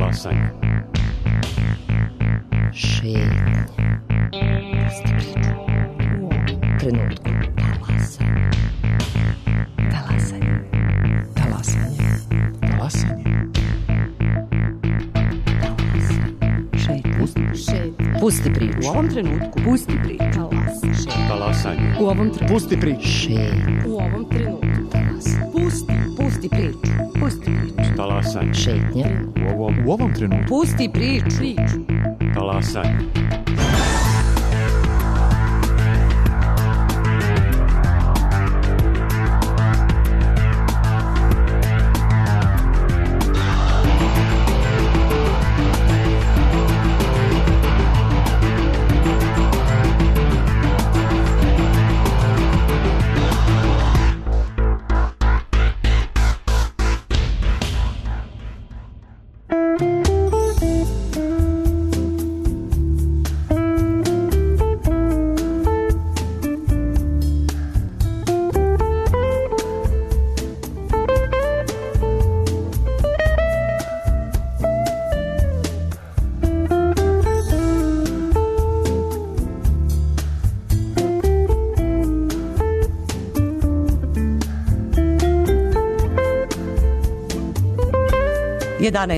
Talasanje. Šetnja. Pusti priču. U ovom trenutku. Talasanje. Talasanje. Talasanje. Talasanje. Pusti priču. U ovom trenutku. Pusti priču. Talasanje. U ovom trenutku. Pusti priču. U ovom trenutku. Pusti priču. Pusti priču. Talasanje. Šetnja. U ovom trenutku. Pusti priču. Talasanje.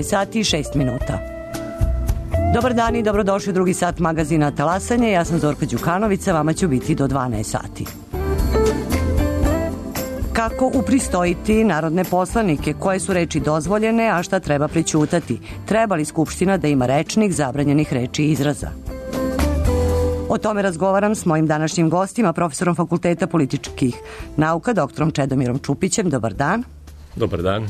Sati i 6 minuta. Dobar dan i dobrodošli u drugi sat magazina Talasanje. Ja sam Zorka Đukanovića, vama ću biti do 12 sati. Kako upristojiti narodne poslanike, koje su reči dozvoljene, a šta treba prećutati? Treba li Skupština da ima rečnik zabranjenih reči i izraza? O tome razgovaram s mojim današnjim gostima, profesorom Fakulteta političkih nauka, doktorom Čedomirom Čupićem. Dobar dan. Dobar dan.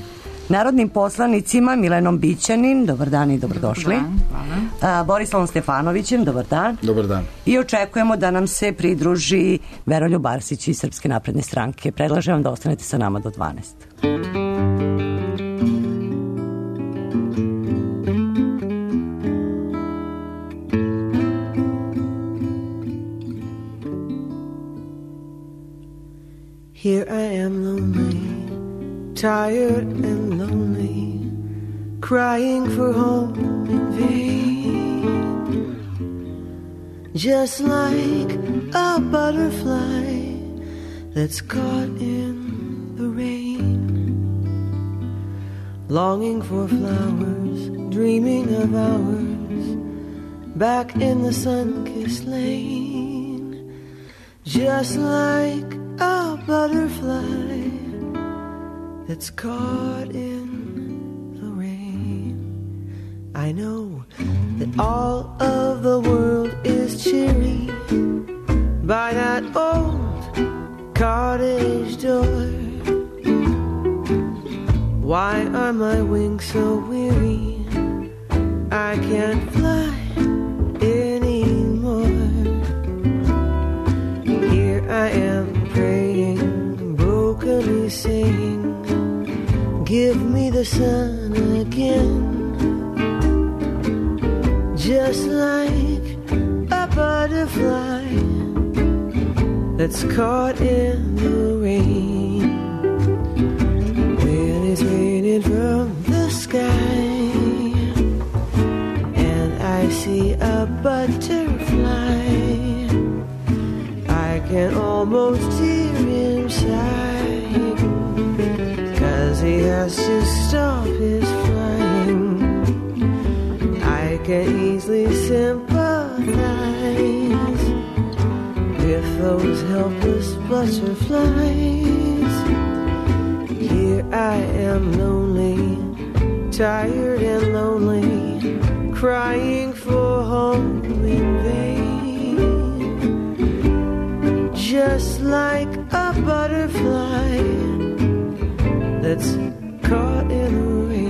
Narodnim poslanicima Milenom Bićanin, dobar dan i dobrodošli. Dobar dan, hvala. Borislavom Stefanovićem, dobar dan. Dobar dan. I očekujemo da nam se pridruži Veroljub Arsić iz Srpske napredne stranke. Predlažem vam da ostanete sa nama do 12. Here I am lonely, tired and lonely, crying for home in vain. Just like a butterfly that's caught in the rain, longing for flowers, dreaming of hours back in the sun-kissed lane. Just like a butterfly that's caught in the rain. I know that all of the world is cheery by that old cottage door. Why are my wings so weary? I can't fly anymore. Here I am praying, brokenly saying, give me the sun again. Just like a butterfly that's caught in the rain. When it's raining from the sky and I see a butterfly, I can almost hear him sigh, 'cause he has to stop his flying. I can easily sympathize with those helpless butterflies. Here I am lonely, tired and lonely, crying for home in vain. Just like a butterfly that's caught in the rain.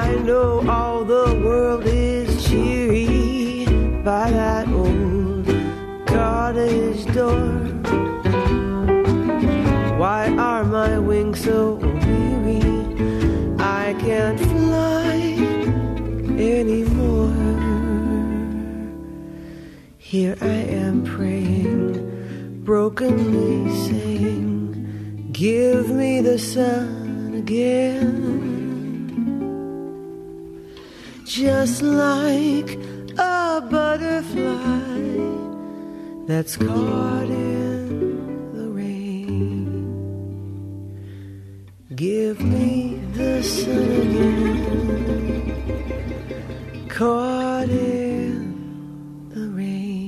I know all the world is cheery by that old cottage door. Here I am praying, brokenly saying, give me the sun again. Just like a butterfly that's caught in the rain. Give me the sun again, caught in the rain.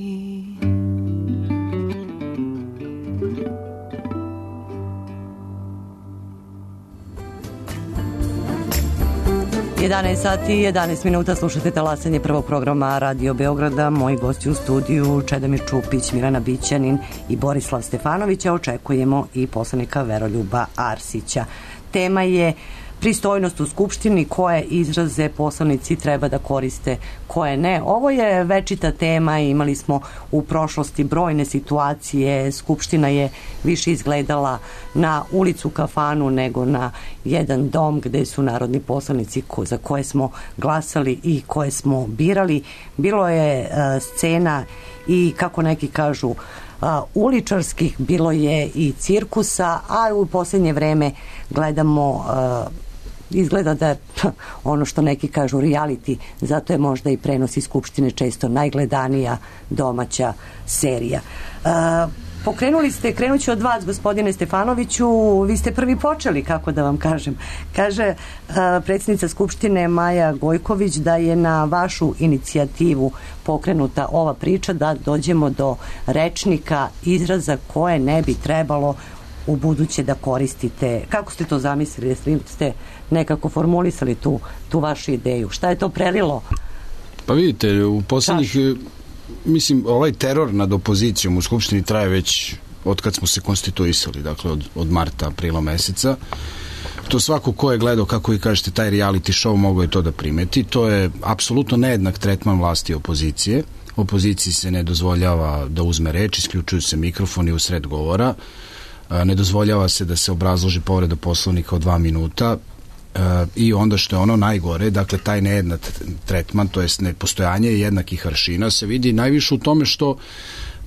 11 sati i 11 minuta, slušate talasanje prvog programa Radio Beograda. Moji gosti u studiju Čedomir Čupić, Milena Bićanin i Borislav Stefanovića. Očekujemo i poslanika Veroljuba Arsića. Tema je pristojnost u Skupštini, koje izraze poslanici treba da koriste, koje ne. Ovo je večita tema, imali smo u prošlosti brojne situacije. Skupština je više izgledala na ulicu, kafanu nego na jedan dom gde su narodni poslanici za koje smo glasali i koje smo birali. Bilo je scena i, kako neki kažu, uličarskih, bilo je i cirkusa, a u posljednje vreme gledamo izgleda da je ono što neki kažu reality, zato je možda i prenos iz Skupštine često najgledanija domaća serija. Pokrenuli ste, krenut ću od vas, gospodine Stefanoviću, vi ste prvi počeli, kako da vam kažem. Kaže predsjednica Skupštine Maja Gojković da je na vašu inicijativu pokrenuta ova priča da dođemo do rečnika, izraza koje ne bi trebalo u buduće da koristite. Kako ste to zamislili? Jeste ste nekako formulisali tu vašu ideju? Šta je to prelilo? Pa vidite, u poslednjih, mislim, ovaj teror nad opozicijom u Skupštini traje već od kad smo se konstituisali, dakle od marta, aprila meseca. To svako ko je gledao, kako vi kažete, taj reality show mogo je to da primeti. To je apsolutno nejednak tretman vlasti i opozicije. Opoziciji se ne dozvoljava da uzme reč, isključuju se mikrofoni u sred govora, ne dozvoljava se da se obrazloži povreda Poslovnika od 2 minuta i onda što je ono najgore, dakle taj nejednak tretman, to jest nepostojanje jednakih aršina se vidi najviše u tome što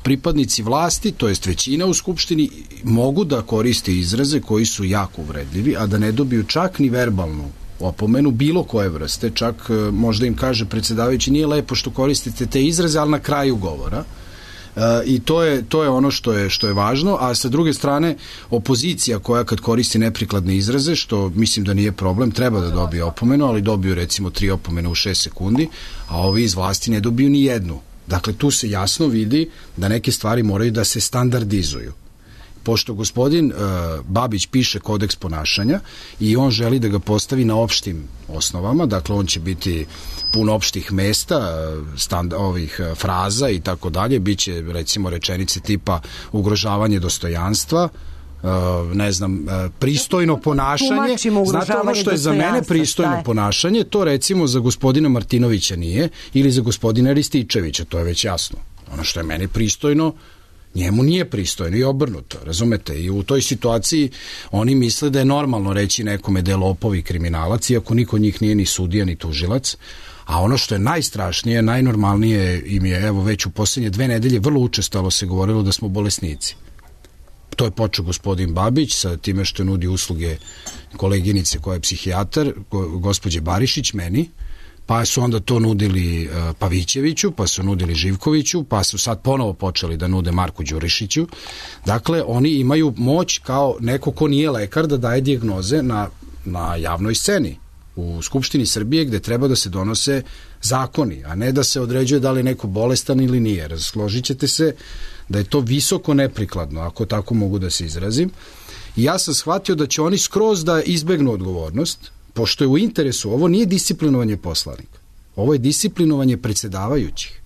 pripadnici vlasti, to jest većina u Skupštini, mogu da koriste izraze koji su jako uvredljivi, a da ne dobiju čak ni verbalnu opomenu bilo koje vrste, čak možda im kaže predsjedavajući nije lepo što koristite te izraze, ali na kraju govora. I to je ono što je važno, a sa druge strane opozicija koja kad koristi neprikladne izraze, što mislim da nije problem, treba da dobije opomenu, ali dobiju recimo 3 opomene u 6 sekundi, a ovi iz vlasti ne dobiju ni jednu. Dakle, tu se jasno vidi da neke stvari moraju da se standardizuju. Pošto gospodin Babić piše kodeks ponašanja i on želi da ga postavi na opštim osnovama, dakle on će biti pun opštih mesta, ovih fraza i tako dalje, biće recimo rečenice tipa ugrožavanje dostojanstva, ne znam, pristojno ponašanje. Znate ono što je za mene pristojno ponašanje, to recimo za gospodina Martinovića nije, ili za gospodina Rističevića, to je već jasno. Ono što je meni pristojno, njemu nije pristojno i obrnuto, razumete? I u toj situaciji oni misle da je normalno reći nekome da je lopov i kriminalac, iako niko njih nije ni sudija ni tužilac, a ono što je najstrašnije, najnormalnije im je, evo već u posljednje 2 nedelje vrlo učestalo se govorilo da smo bolesnici. To je počeo gospodin Babić sa time što nudi usluge koleginice koja je psihijatar, gospođe Barišić, meni, pa su onda to nudili Pavićeviću, pa su nudili Živkoviću, pa su sad ponovo počeli da nude Marku Đurišiću. Dakle, oni imaju moć kao neko ko nije lekar da daje dijagnoze na javnoj sceni u Skupštini Srbije gde treba da se donose zakoni, a ne da se određuje da li je neko bolestan ili nije. Razložit ćete se da je to visoko neprikladno, ako tako mogu da se izrazim. I ja sam shvatio da će oni skroz da izbegnu odgovornost, pošto je u interesu, ovo nije disciplinovanje poslanika, ovo je disciplinovanje predsjedavajućih,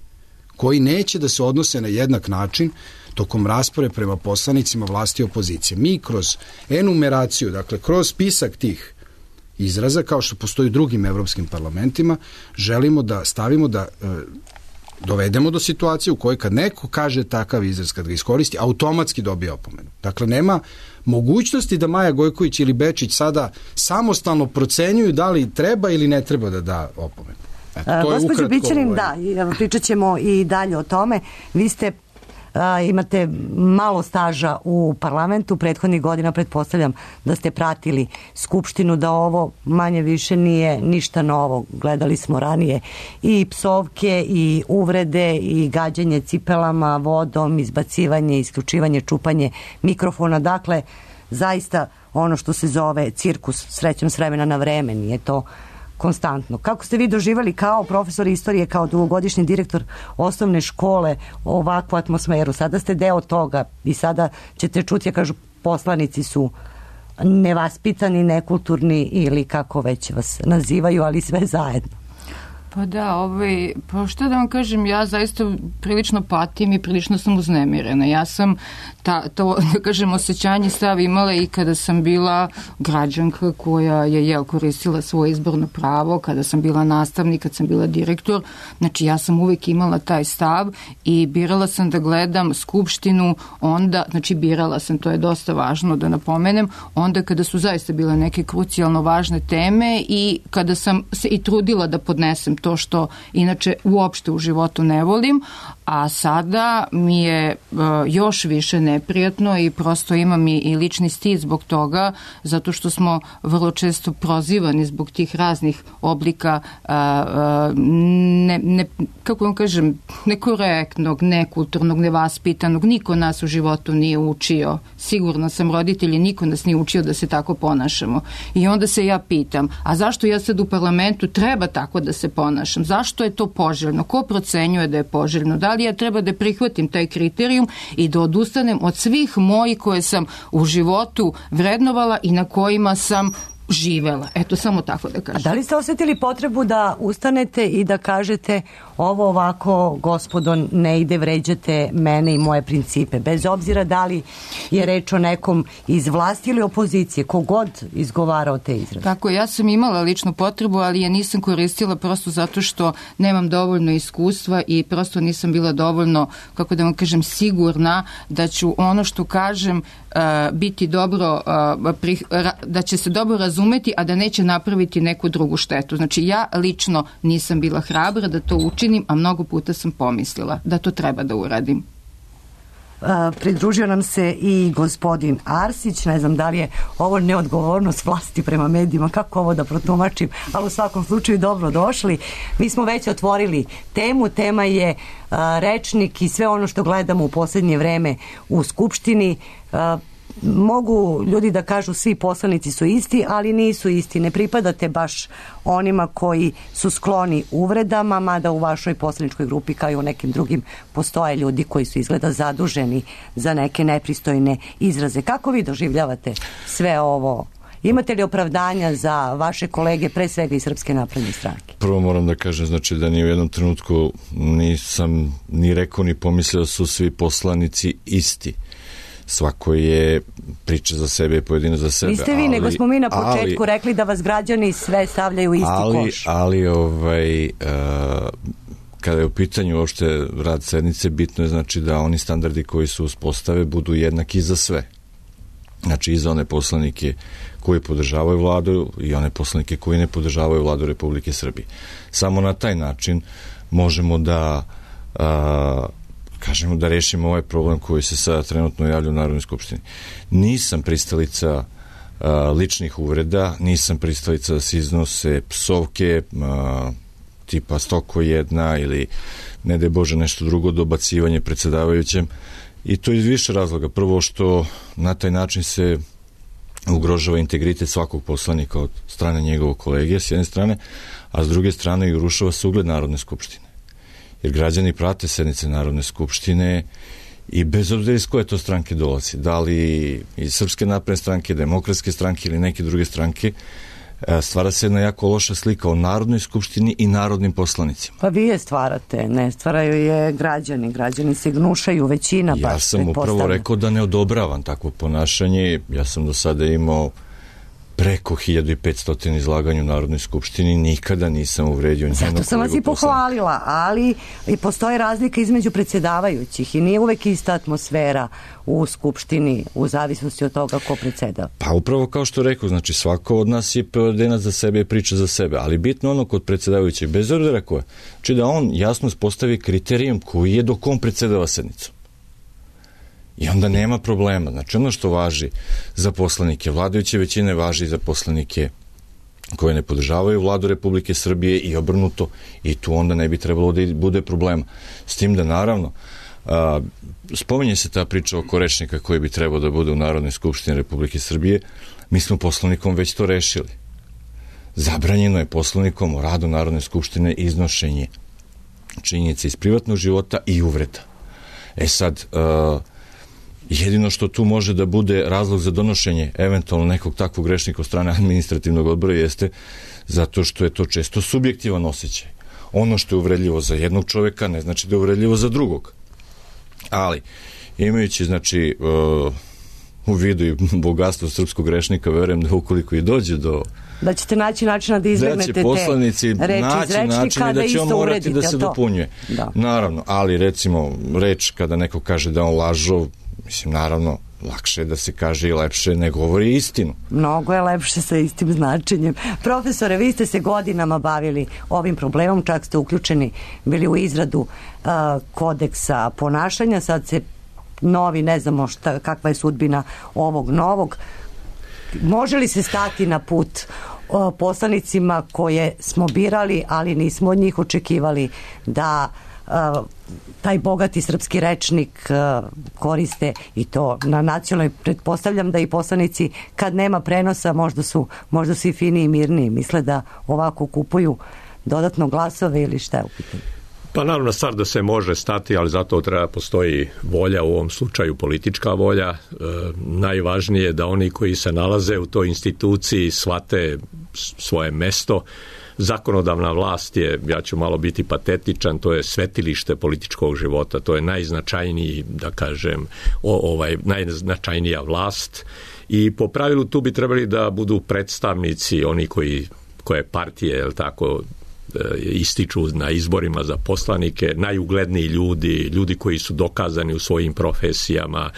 koji neće da se odnose na jednak način tokom rasprave prema poslanicima vlasti i opozicije. Mi kroz enumeraciju, dakle kroz spisak tih izraza, kao što postoji u drugim evropskim parlamentima, želimo da stavimo da dovedemo do situacije u kojoj kad neko kaže takav izraz, kad ga iskoristi, automatski dobije opomenu. Dakle, nema mogućnosti da Maja Gojković ili Bečić sada samostalno procenjuju da li treba ili ne treba da da opomenu. Gospođo Bićanin, da, pričat ćemo i dalje o tome. Vi ste imate malo staža u parlamentu, prethodnih godina pretpostavljam da ste pratili Skupštinu, da ovo manje više nije ništa novo. Gledali smo ranije i psovke i uvrede i gađanje cipelama, vodom, izbacivanje, isključivanje, čupanje mikrofona. Dakle, zaista ono što se zove cirkus, srećom s vremena na vreme, nije to konstantno. Kako ste vi doživjeli kao profesor istorije, kao dugogodišnji direktor osnovne škole ovakvu atmosferu? Sada ste deo toga i sada ćete čuti, ja kažu, poslanici su nevaspitani, nekulturni ili kako već vas nazivaju, ali sve zajedno. Pa da, pa što da vam kažem, ja zaista prilično patim i prilično sam uznemirena. Ja sam to, da kažem, osjećanje stav imala i kada sam bila građanka koja je koristila svoje izborno pravo, kada sam bila nastavnik, kad sam bila direktor. Znači, ja sam uvijek imala taj stav i birala sam da gledam Skupštinu onda, znači birala sam, to je dosta važno da napomenem, onda kada su zaista bile neke krucijalno važne teme i kada sam se i trudila da podnesem to što inače uopšte u životu ne volim, a sada mi je još više neprijatno i prosto imam i lični stid zbog toga, zato što smo vrlo često prozivani zbog tih raznih oblika kako vam kažem, nekorektnog, nekulturnog, nevaspitanog. Niko nas u životu nije učio. Sigurno sam, roditelji, niko nas nije učio da se tako ponašamo. I onda se ja pitam, a zašto ja sad u parlamentu treba tako da se ponašam? Zašto je to poželjno? Ko procenjuje da je poželjno? Da li ja treba da prihvatim taj kriterijum i da odustanem od svih mojih koje sam u životu vrednovala i na kojima sam živela? Eto, samo tako da kažem. A da li ste osjetili potrebu da ustanete i da kažete ovo ovako, gospodo, ne ide, vređate mene i moje principe, bez obzira da li je reč o nekom iz vlasti ili opozicije, kogod izgovarao te izraze? Tako, ja sam imala ličnu potrebu, ali je nisam koristila prosto zato što nemam dovoljno iskustva i prosto nisam bila dovoljno, kako da vam kažem, sigurna da ću ono što kažem biti dobro, da će se dobro razumeti, a da neće napraviti neku drugu štetu. Znači, ja lično nisam bila hrabra da to učinim, a mnogo puta sam pomislila da to treba da uradim. Pridružio nam se i gospodin Arsić, ne znam da li je ovo neodgovornost vlasti prema medijima, kako ovo da protumačim, ali u svakom slučaju dobro došli. Mi smo već otvorili temu, tema je rečnik i sve ono što gledamo u posljednje vreme u Skupštini. Mogu ljudi da kažu svi poslanici su isti, ali nisu isti. Ne pripadate baš onima koji su skloni uvredama, mada u vašoj poslaničkoj grupi kao i u nekim drugim postoje ljudi koji su izgleda zaduženi za neke nepristojne izraze. Kako vi doživljavate sve ovo? Imate li opravdanja za vaše kolege, pre svega iz Srpske napredne stranke? Prvo moram da kažem, znači da ni u jednom trenutku nisam ni rekao ni pomislio da su svi poslanici isti. Svako je priča za sebe i pojedino za sebe. Niste vi, nego smo mi na početku rekli da vas građani sve stavljaju u isti koš. Ali kada je u pitanju uopšte rad sednice, bitno je znači da oni standardi koji se uspostave budu jednaki za sve. Znači i za one poslanike koji podržavaju vladu i one poslanike koji ne podržavaju vladu Republike Srbije. Samo na taj način možemo da kažemo da rešimo ovaj problem koji se sada trenutno javlja u Narodnoj skupštini. Nisam pristalica ličnih uvreda, nisam pristalica da se iznose psovke tipa stoko jedna ili ne daj Bože nešto drugo, dobacivanje predsjedavajućem, i to iz više razloga. Prvo što na taj način se ugrožava integritet svakog poslanika od strane njegovog kolege s jedne strane, a s druge strane i urušava se ugled Narodne skupštine. Jer građani prate sednice Narodne skupštine i bez obzira iz koje to stranke dolazi, da li iz Srpske napredne stranke, Demokratske stranke ili neke druge stranke, stvara se jedna jako loša slika o Narodnoj skupštini i narodnim poslanicima. Pa vi je stvarate, ne stvaraju je građani. Građani se gnušaju, većina Ja sam upravo rekao da ne odobravam takvo ponašanje. Ja sam do sada imao preko 1500 izlaganja u Narodnoj skupštini, nikada nisam uvredio njenog kolegu. Zato sam vas i pohvalila, ali i postoje razlika između predsjedavajućih i nije uvek ista atmosfera u skupštini u zavisnosti od toga ko predsjedava. Pa upravo kao što rekao, znači svako od nas je pojedinac za sebe i priča za sebe, ali bitno ono kod predsjedavajućeg, bez obzira ko je, znači da on jasno postavi kriterijum koji je dok on predsjedava sednicom. I onda nema problema. Znači ono što važi za poslanike vladajuće većine važi za poslanike koje ne podržavaju vladu Republike Srbije i obrnuto, i tu onda ne bi trebalo da bude problema. S tim da naravno spominje se ta priča oko rečnika koji bi trebao da bude u Narodnoj skupštini Republike Srbije. Mi smo poslovnikom već to rešili. Zabranjeno je poslovnikom o radu Narodne skupštine iznošenje činjenica iz privatnog života i uvreda. Sad, jedino što tu može da bude razlog za donošenje eventualno nekog takvog grešnika od strane administrativnog odbora jeste zato što je to često subjektivan osjećaj. Ono što je uvredljivo za jednog čoveka ne znači da je uvredljivo za drugog. Ali, imajući, znači, u vidu i bogatstvo srpskog grešnika, verujem da ukoliko i dođe do... Da ćete naći načina da izbegnete te poslanici reči iz rečnika, da će on morati uredite, da se dopunjuje. Da. Naravno, ali recimo reč kada neko kaže da on lažov, mislim, naravno, lakše je da se kaže i lepše ne govori istinu. Mnogo je lepše sa istim značenjem. Profesore, vi ste se godinama bavili ovim problemom, čak ste uključeni bili u izradu kodeksa ponašanja, sad se novi, ne znamo kakva je sudbina ovog novog. Može li se stati na put poslanicima koje smo birali, ali nismo od njih očekivali da taj bogati srpski rečnik koriste i to na nacionalnoj? Pretpostavljam da i poslanici kad nema prenosa možda su i fini i mirni, misle da ovako kupuju dodatno glasove ili šta je u pitanju? Pa naravno stvar da se može stati, ali zato treba postoji volja, u ovom slučaju politička volja. Najvažnije je da oni koji se nalaze u toj instituciji shvate svoje mesto. Zakonodavna vlast je, ja ću malo biti patetičan, to je svetilište političkog života, to je najznačajniji, da kažem, najznačajnija vlast i po pravilu tu bi trebali da budu predstavnici, oni koje partije, je li tako, ističu na izborima za poslanike, najugledniji ljudi koji su dokazani u svojim profesijama,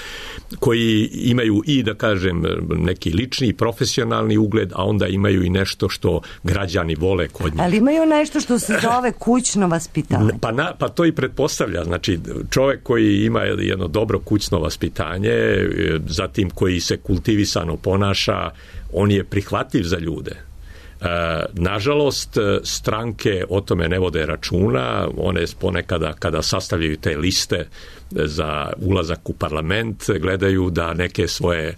koji imaju i, da kažem, neki lični i profesionalni ugled, a onda imaju i nešto što građani vole kod njih. Ali imaju nešto što se zove kućno vaspitanje. Pa to i pretpostavlja. Znači, čovjek koji ima jedno dobro kućno vaspitanje, zatim koji se kultivisano ponaša, on je prihvatljiv za ljude. Nažalost, stranke o tome ne vode računa, one ponekada kada sastavljaju te liste za ulazak u parlament, gledaju da neke svoje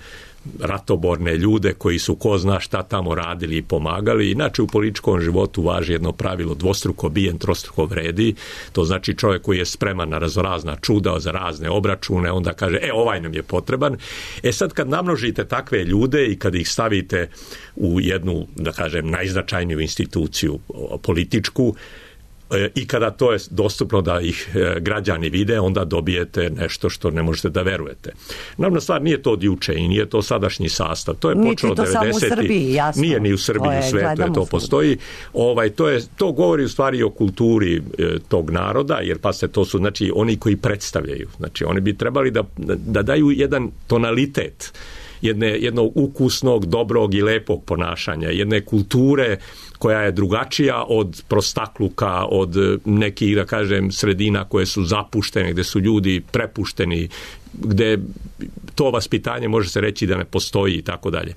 ratoborne ljude koji su ko zna šta tamo radili i pomagali. Inače u političkom životu važi jedno pravilo: dvostruko bijen, trostruko vredi. To znači čovjek koji je spreman na razna čuda, za razne obračune, onda kaže, ovaj nam je potreban. Sad kad namnožite takve ljude i kad ih stavite u jednu, da kažem, najznačajniju instituciju političku, i kada to je dostupno da ih građani vide, onda dobijete nešto što ne možete da verujete. Naravno, stvar nije to od juče i nije to sadašnji sastav. To je počelo 90. Nije ni u Srbiji, u svetu to postoji. To govori u stvari o kulturi tog naroda, jer to su, znači, oni koji predstavljaju. Znači, oni bi trebali da daju jedan tonalitet jednog ukusnog, dobrog i lepog ponašanja, jedne kulture koja je drugačija od prostakluka, od nekih, da kažem, sredina koje su zapuštene, gde su ljudi prepušteni, gde to vaspitanje može se reći da ne postoji i tako dalje.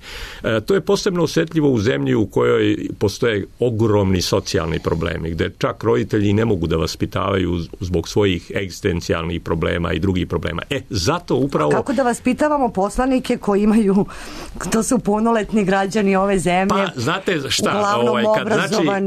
To je posebno osjetljivo u zemlji u kojoj postoje ogromni socijalni problemi, gde čak roditelji ne mogu da vaspitavaju zbog svojih egzistencijalnih problema i drugih problema. Zato upravo... Kako da vaspitavamo poslanike koji imaju, to su punoletni građani ove zemlje, pa, znate šta,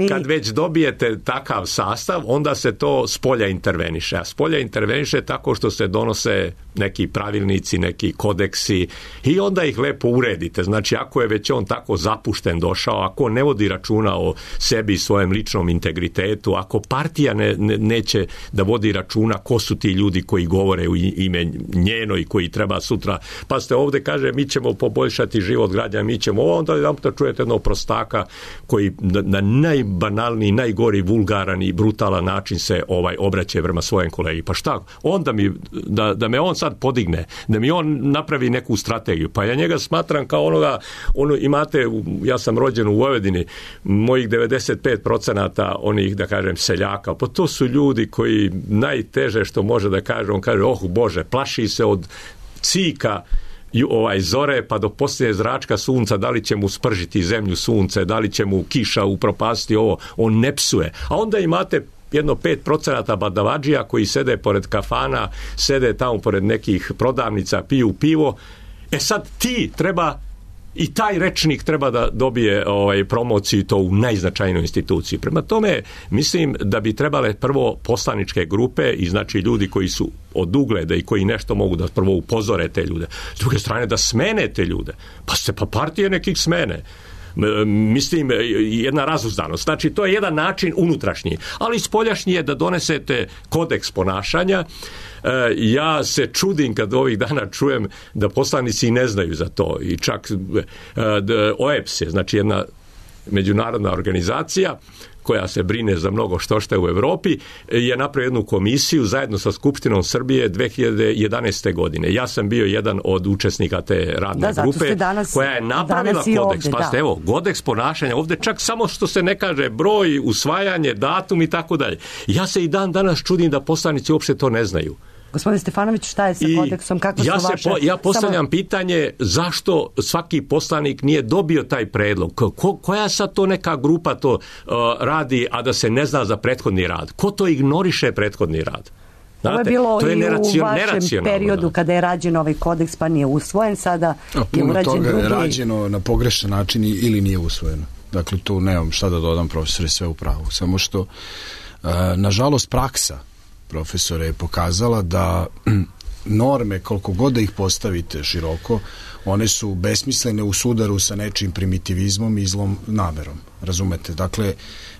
kad već dobijete takav sastav, onda se to spolja interveniše. A spolja interveniše tako što se donose neki neki pravilnici, neki kodeksi i onda ih lepo uredite. Znači, ako je već on tako zapušten došao, ako ne vodi računa o sebi i svojem ličnom integritetu, ako partija neće da vodi računa ko su ti ljudi koji govore u ime njeno i koji treba sutra, pa ste ovde kaže mi ćemo poboljšati život građana, mi ćemo ovo, onda jedan puta čujete jednog prostaka koji na najbanalniji, najgori, vulgaran i brutalan način se obraća prema svojem kolegi. Pa šta? Onda da me on sad podigne, da mi on napravi neku strategiju. Pa ja njega smatram kao imate, ja sam rođen u Vojvodini, mojih 95% onih, da kažem, seljaka, pa to su ljudi koji najteže što može da kaže, on kaže, Bože, plaši se od cika zore pa do poslije zračka sunca, da li će mu spržiti zemlju sunce, da li će mu kiša upropasti ovo, on ne psuje. A onda imate jedno 5% badavadžija koji sede pored kafana, sede tamo pored nekih prodavnica, piju pivo. Sad ti treba i taj rečnik treba da dobije promociju to u najznačajnoj instituciji. Prema tome, mislim da bi trebale prvo poslaničke grupe i znači ljudi koji su od ugleda i koji nešto mogu da prvo upozore te ljude. S druge strane, da smene te ljude. Pa partije nekih smene. Mislim, jedna razuzdanost. Znači, to je jedan način unutrašnji. Ali spoljašnji je da donesete kodeks ponašanja. Ja se čudim kad ovih dana čujem da poslanici ne znaju za to. I čak OEBS je, znači jedna međunarodna organizacija koja se brine za mnogo što u Evropi, je napravio jednu komisiju zajedno sa Skupštinom Srbije 2011. godine. Ja sam bio jedan od učesnika te radne grupe koja je napravila kodeks. Pa evo, kodeks ponašanja, ovde čak samo što se ne kaže broj, usvajanje, datum i tako dalje. Ja se i dan danas čudim da poslanici uopšte to ne znaju. Gospodin Stefanović, šta je sa kodeksom? Kako su vaše... Ja postavljam pitanje zašto svaki poslanik nije dobio taj predlog. Koja sad to neka grupa to radi, a da se ne zna za prethodni rad? Ko to ignoriše prethodni rad? Ovo je bilo i u vašem periodu kada je rađen ovaj kodeks pa nije usvojen, sada je urađen drugi. Puno toga je rađeno na pogrešan način ili nije usvojeno. Dakle, tu nemam šta da dodam, profesore, sve u pravu. Samo što, nažalost, praksa profesora je pokazala da norme, koliko god da ih postavite široko, one su besmislene u sudaru sa nečim primitivizmom i zlom namerom. Razumete? Dakle,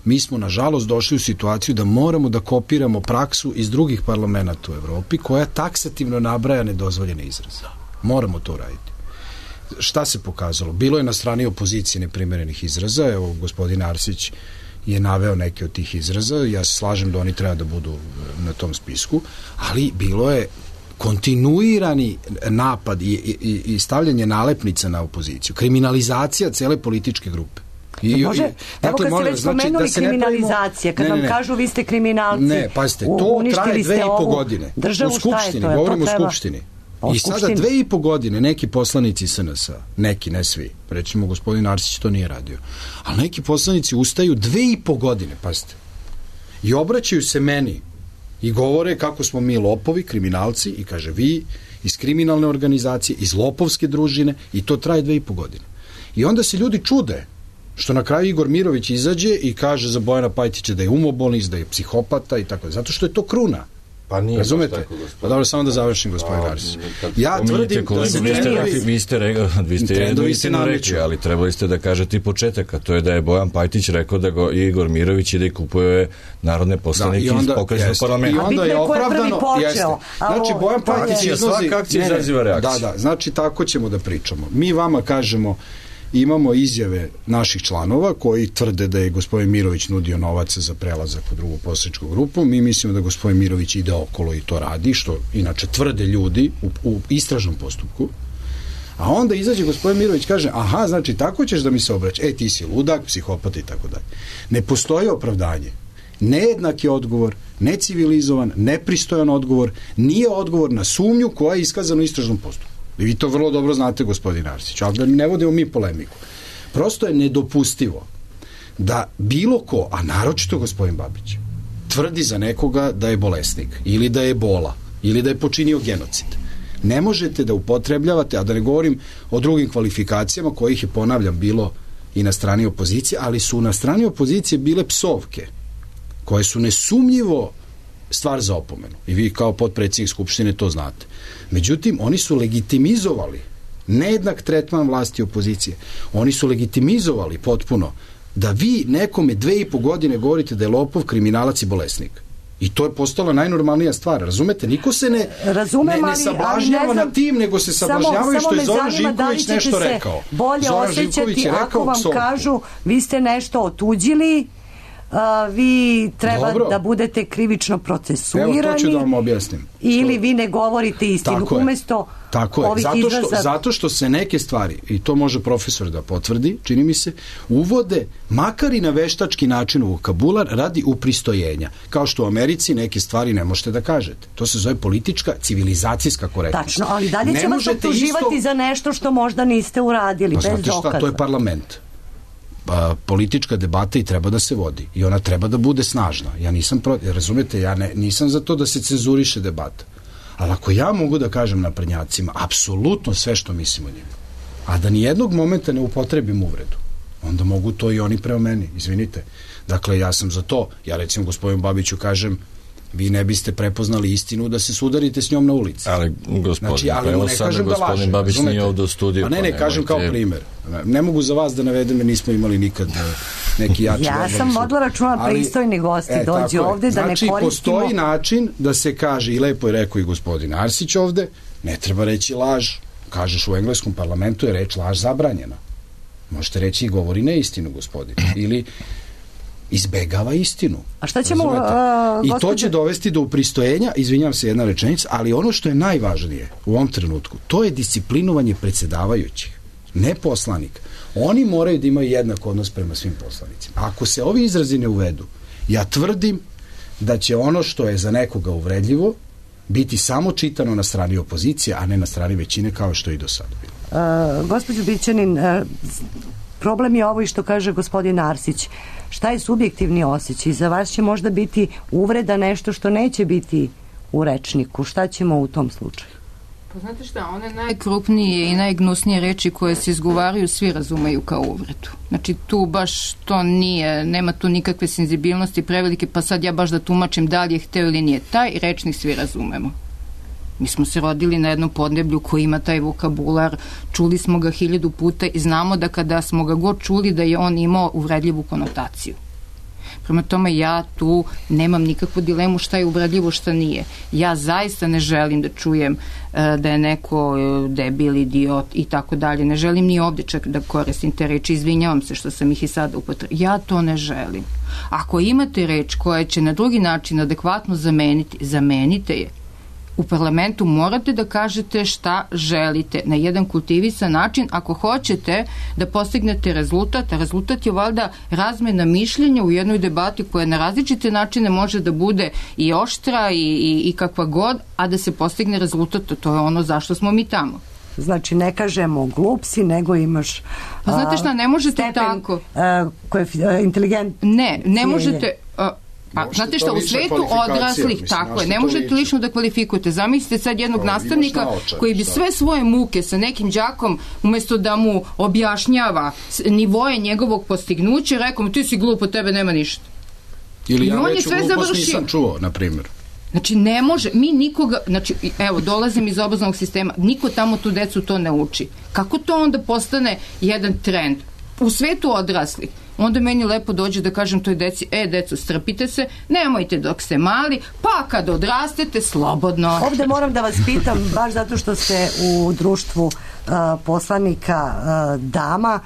mi smo nažalost došli u situaciju da moramo da kopiramo praksu iz drugih parlamenata u Evropi koja taksativno nabraja nedozvoljene izraze. Moramo to raditi. Šta se pokazalo? Bilo je na strani opozicije neprimerenih izraza. Evo, gospodin Arsić je naveo neke od tih izraza. Ja se slažem da oni treba da budu na tom spisku, ali bilo je kontinuirani napad i stavljanje nalepnica na opoziciju. Kriminalizacija cele političke grupe. Evo kad ste već spomenuli kriminalizacije, kad vam kažu vi ste kriminalci, ne, pazite, to traje 2,5 godine. U Skupštini, govorimo o Skupštini. I sada 2,5 godine neki poslanici SNS-a, neki, ne svi, recimo gospodin Arsić to nije radio, ali neki poslanici ustaju 2,5 godine, pazite, i obraćaju se meni i govore kako smo mi lopovi, kriminalci, i kaže vi iz kriminalne organizacije, iz lopovske družine, i to traje 2,5 godine. I onda se ljudi čude što na kraju Igor Mirović izađe i kaže za Bojana Pajtića da je umobolnik, da je psihopata i tako, zato što je to kruna. Pa nije. Razumete? Tako, pa dobro, samo da završim, gospodin Arsić. Ja tvrdim da se vi ste jednu istinu rekli, ali trebali ste da kažete i početak, a to je da je Bojan Pajtić rekao da go Igor Mirović ide i kupuje narodne poslanike iz pokrajinskog parlamenta. I onda je opravdano, znači Bojan Pajtić iznosi... Svaka akcija izaziva reakciju. Da, znači tako ćemo da pričamo. Mi vama kažemo, imamo izjave naših članova koji tvrde da je gospodin Mirović nudio novac za prelazak u drugu poslaničku grupu. Mi mislimo da gospodin Mirović ide okolo i to radi, što inače tvrde ljudi u istražnom postupku. A onda izađe gospodin Mirović, kaže, aha, znači tako ćeš da mi se obraća. Ti si ludak, psihopata i tako dalje. Ne postoji opravdanje. Nejednak je odgovor, necivilizovan, nepristojan odgovor, nije odgovor na sumnju koja je iskazana u istražnom postupku. I vi to vrlo dobro znate, gospodin Arsić, ali da ne vodimo mi polemiku. Prosto je nedopustivo da bilo ko, a naročito gospodin Babić, tvrdi za nekoga da je bolesnik, ili da je bola, ili da je počinio genocid. Ne možete da upotrebljavate, a da ne govorim o drugim kvalifikacijama kojih je, ponavljam, bilo i na strani opozicije, ali su na strani opozicije bile psovke, koje su nesumnjivo stvar za opomenu. I vi kao potpredsjednik Skupštine to znate. Međutim, oni su legitimizovali nejednak tretman vlasti i opozicije. Oni su legitimizovali potpuno da vi nekome 2,5 godine govorite da je lopov, kriminalac i bolesnik. I to je postala najnormalnija stvar. Razumete? Niko se ne sablažnjava na tim, nego se sablažnjavaju što je Zoran Živković nešto rekao. Bolje osjećati ako vam kažu vi ste nešto otuđili, vi treba da budete krivično procesuirani. Evo, to ću da vam objasnim. Ili vi ne govorite istinu. Umesto ovih izraza... Zato što se neke stvari, i to može profesor da potvrdi, čini mi se, uvode makar i na veštački način u vokabular radi upristojenja. Kao što u Americi neke stvari ne možete da kažete. To se zove politička, civilizacijska korektnost. Tačno, ali dalje će vas optuživati za nešto što možda niste uradili, bez dokaza. Znate šta, to je parlament. Politička debata i treba da se vodi i ona treba da bude snažna. Ja nisam razumete, ja nisam za to da se cenzuriše debata. Ali ako ja mogu da kažem naprednjacima apsolutno sve što mislim o njima, a da nijednog momenta ne upotrebim uvredu, onda mogu to i oni prema meni, izvinite. Dakle, ja sam za to. Ja recimo gospodinu Babiću kažem, vi ne biste prepoznali istinu da se sudarite s njom na ulici. Ali gospodin Babić nije ovdje u studiju. A ne, kažem kao primer. Ne mogu za vas da navedem, jer nismo imali nikad neki jači... Ja sam vodila računa pristojni gosti dođu ovde da ne koristimo... Znači, postoji način da se kaže, i lepo je rekao i gospodin Arsić ovde, ne treba reći laž. Kažeš u engleskom parlamentu je reč laž zabranjena. Možete reći i govori neistinu, gospodin. Ili izbegava istinu. A šta ćemo... I to će dovesti do upristojenja, izvinjam se, jedna rečenica, ali ono što je najvažnije u ovom trenutku, to je disciplinovanje predsjedavajućih, ne poslanika. Oni moraju da imaju jednak odnos prema svim poslanicima. Ako se ovi izrazi ne uvedu, ja tvrdim da će ono što je za nekoga uvredljivo biti samo čitano na strani opozicije, a ne na strani većine, kao što je i do sada bilo. Gospođo Bićanin, problem je ovo i što kaže gospodin Arsić. Šta je subjektivni osjećaj? Za vas će možda biti uvreda nešto što neće biti u rečniku. Šta ćemo u tom slučaju? Pa znate šta, one najkrupnije i najgnusnije reči koje se izgovaraju svi razumeju kao uvredu. Znači tu baš to nije, nema tu nikakve senzibilnosti prevelike, pa sad ja baš da tumačim da li je hteo ili nije. Taj rečnik svi razumemo. Mi smo se rodili na jednom podneblju koji ima taj vokabular, čuli smo ga 1000 puta i znamo da kada smo ga god čuli da je on imao uvredljivu konotaciju. Prema tome ja tu nemam nikakvu dilemu šta je uvredljivo, šta nije. Ja zaista ne želim da čujem da je neko debil, idiot i tako dalje. Ne želim ni ovdje čak da koristim te reči. Izvinjavam se što sam ih i sada upotrebila. Ja to ne želim. Ako imate reč koja će na drugi način adekvatno zameniti, zamenite je. U parlamentu morate da kažete šta želite na jedan kultivisan način ako hoćete da postignete rezultat, a rezultat je valjda razmena mišljenja u jednoj debati koja na različite načine može da bude i oštra i kakva god, a da se postigne rezultat, to je ono zašto smo mi tamo. Znači ne kažemo glup si, nego imaš pa znate šta, ne možete tako inteligent. Ne možete... Pa, znate šta, u svetu odraslih, tako je, ne možete lično da kvalifikujete. Zamislite sad jednog nastavnika koji bi sve svoje muke sa nekim đakom, umjesto da mu objašnjava nivoje njegovog postignuća, rekao mu ti si glup, od tebe nema ništa. Ili ja veću glupost nisam čuo, na primjer. Znači, ne može, mi nikoga, znači, evo, dolazim iz obrazovnog sistema, niko tamo tu decu to ne uči. Kako to onda postane jedan trend? U svetu odraslih. Onda meni lepo dođe da kažem toj deci, deco, strpite se, nemojte dok ste mali, pa kad odrastete, slobodno. Ovde moram da vas pitam, baš zato što ste u društvu poslanika dama,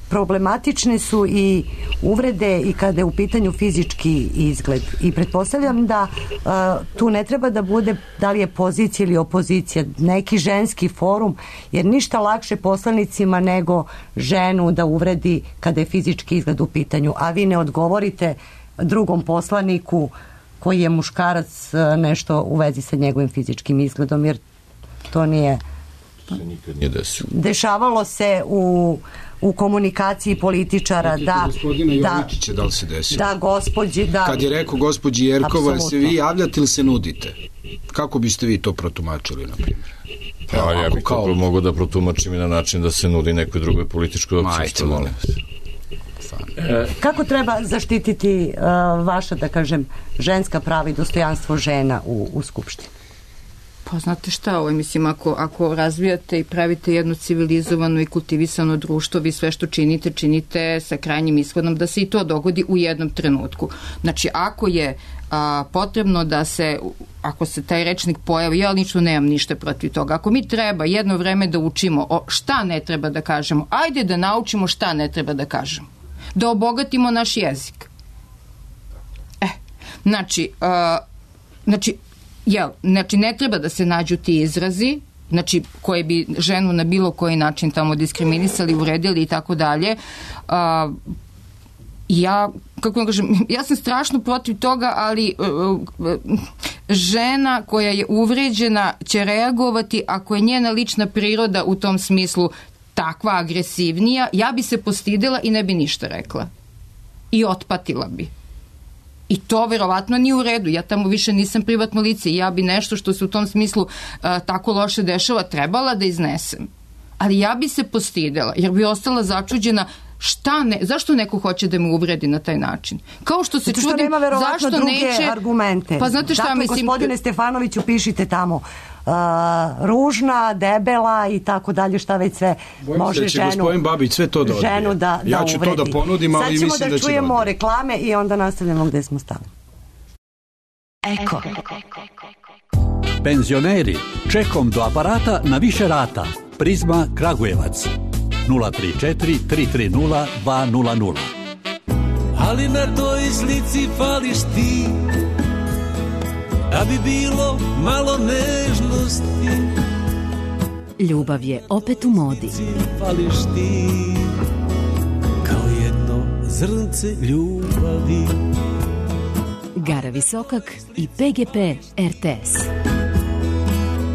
problematične su i uvrede i kada je u pitanju fizički izgled. I pretpostavljam da tu ne treba da bude da li je pozicija ili opozicija, neki ženski forum, jer ništa lakše poslanicima nego ženu da uvredi kada je fizički izgled u pitanju, a vi ne odgovorite drugom poslaniku koji je muškarac nešto u vezi sa njegovim fizičkim izgledom, jer to nije... nikad nije desilo. Dešavalo se u komunikaciji političara da gospodina Jovičića da li se desilo? Da, gospođi, da. Kad je rekao gospođi Jerkova, se vi javljate ili se nudite? Kako biste vi to protumačili, na primjer? Ja bih to mogao da protumačim i na način da se nudi nekoj drugoj političkoj opciji. Kako treba zaštititi vaša, da kažem, ženska prava i dostojanstvo žena u Skupštini? Pa znate šta, mislim, ako razvijate i pravite jedno civilizovano i kultivisano društvo, vi sve što činite sa krajnjim ishodom da se i to dogodi u jednom trenutku. Znači, ako je potrebno da se, ako se taj rečnik pojavi, ja lično nemam ništa protiv toga. Ako mi treba jedno vreme da učimo šta ne treba da kažemo, ajde da naučimo šta ne treba da kažemo. Da obogatimo naš jezik. Znači, ne treba da se nađu ti izrazi, znači koji bi ženu na bilo koji način tamo diskriminisali, uredili i tako dalje. Ja sam strašno protiv toga, ali žena koja je uvređena će reagovati ako je njena lična priroda u tom smislu takva agresivnija, ja bi se postidela i ne bi ništa rekla. I otpatila bi. I to verovatno nije u redu. Ja tamo više nisam privatno lice i ja bi nešto što se u tom smislu tako loše dešava trebala da iznesem. Ali ja bi se postidela jer bi ostala začuđena zašto neko hoće da me uvredi na taj način? Kao što se čudim, nema verovatno zašto druge neće argumente. Pa znate šta, dakle, mislim, gospodine Stefanoviću, pišite tamo ružna, debela i tako dalje, šta već sve može ženu. Gospodin Babić sve to da odbije. Ženu da ja ću uvredi. to da ponudim, ali mislim da će sad ćemo da čujemo reklame i onda nastavljamo gde smo stali. Eko. Penzioneri, čekom do aparata na više rata. Prizma Kragujevac 034 330 200. Ali na toj slici fališ ti, da bi bilo malo nežnosti. Ljubav je opet u modi. Fališ ti, kao jedno zrnce ljubavi. Gara Visokak i PGP RTS.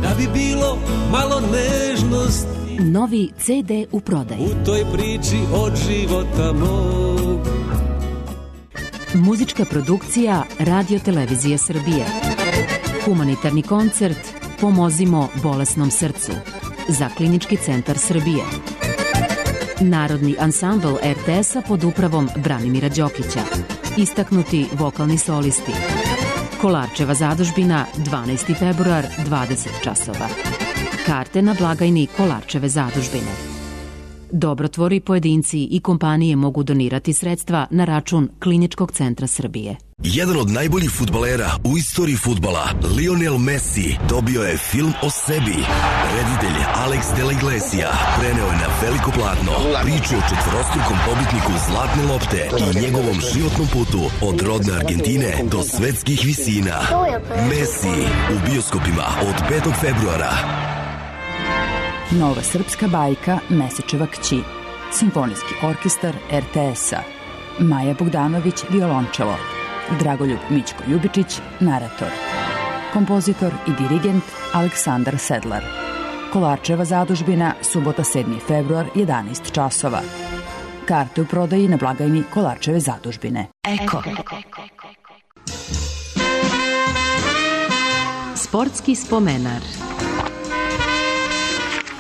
Da bi bilo malo nežnosti. Novi CD u prodaji. U toj priči od života mog. Muzička produkcija Radio Televizije Srbije. Humanitarni koncert Pomozimo bolesnom srcu za Klinički centar Srbije. Narodni ansambl RTS-a pod upravom Branimira Đokića. Istaknuti vokalni solisti. Kolarčeva zadužbina 12. februar 20 časova. Karte na blagajni Kolarčeve zadužbine. Dobrotvori, pojedinci i kompanije mogu donirati sredstva na račun Kliničkog centra Srbije. Jedan od najboljih fudbalera u istoriji fudbala, Lionel Messi, dobio je film o sebi. Reditelj Alex de la Iglesia preneo je na veliko platno priču o četvorostrukom pobitniku Zlatne lopte i njegovom životnom putu od rodne Argentine do svetskih visina. Messi u bioskopima od 5. februara. Nova srpska bajka Mesečeva kći. Simfonijski orkestar RTS-a. Maja Bogdanović, violončelo. Dragoljub Mićko Ljubičić, narator. Kompozitor i dirigent Aleksandar Sedlar. Kolarčeva zadužbina, subota 7. februar, 11 časova. Karte u prodaji na blagajni Kolarčeve zadužbine. Eko. Sportski spomenar.